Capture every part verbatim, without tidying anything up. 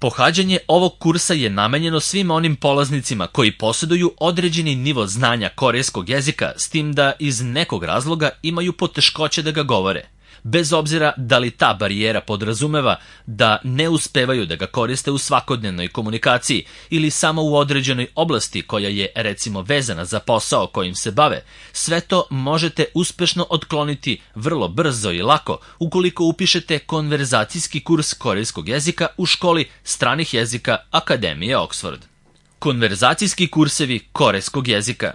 Pohađanje ovog kursa je namenjeno svim onim polaznicima koji posjeduju određeni nivo znanja korejskog jezika, s tim da iz nekog razloga imaju poteškoće da ga govore. Bez obzira da li ta barijera podrazumeva da ne uspevaju da ga koriste u svakodnevnoj komunikaciji ili samo u određenoj oblasti koja je recimo vezana za posao kojim se bave, sve to možete uspešno otkloniti vrlo brzo i lako ukoliko upišete konverzacijski kurs korejskog jezika u školi stranih jezika Akademije Oxford. Konverzacijski kursevi korejskog jezika.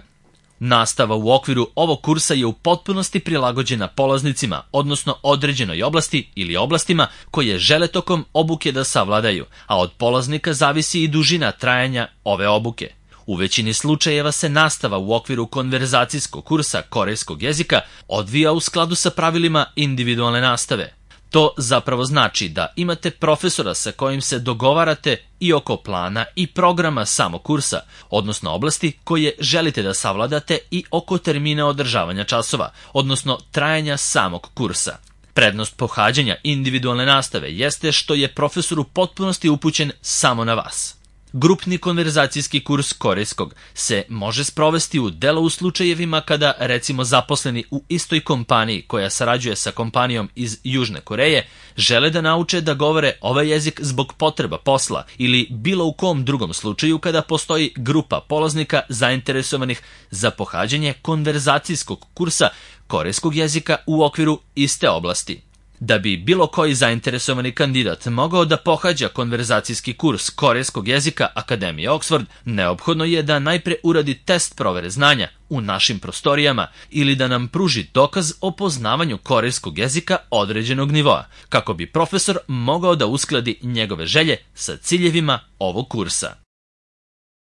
Nastava u okviru ovog kursa je u potpunosti prilagođena polaznicima, odnosno određenoj oblasti ili oblastima koje žele tokom obuke da savladaju, a od polaznika zavisi i dužina trajanja ove obuke. U većini slučajeva se nastava u okviru konverzacijskog kursa korejskog jezika odvija u skladu sa pravilima individualne nastave. To zapravo znači da imate profesora sa kojim se dogovarate i oko plana i programa samog kursa, odnosno oblasti koje želite da savladate i oko termina održavanja časova, odnosno trajanja samog kursa. Prednost pohađanja individualne nastave jeste što je profesor u potpunosti upućen samo na vas. Grupni konverzacijski kurs korejskog se može sprovesti u delo u slučajevima kada, recimo, zaposleni u istoj kompaniji koja sarađuje sa kompanijom iz Južne Koreje žele da nauče da govore ovaj jezik zbog potreba posla ili bilo u kom drugom slučaju kada postoji grupa polaznika zainteresovanih za pohađanje konverzacijskog kursa korejskog jezika u okviru iste oblasti. Da bi bilo koji zainteresovani kandidat mogao da pohađa konverzacijski kurs korejskog jezika Akademije Oxford, neophodno je da najpre uradi test provere znanja u našim prostorijama ili da nam pruži dokaz o poznavanju korejskog jezika određenog nivoa, kako bi profesor mogao da uskladi njegove želje sa ciljevima ovog kursa.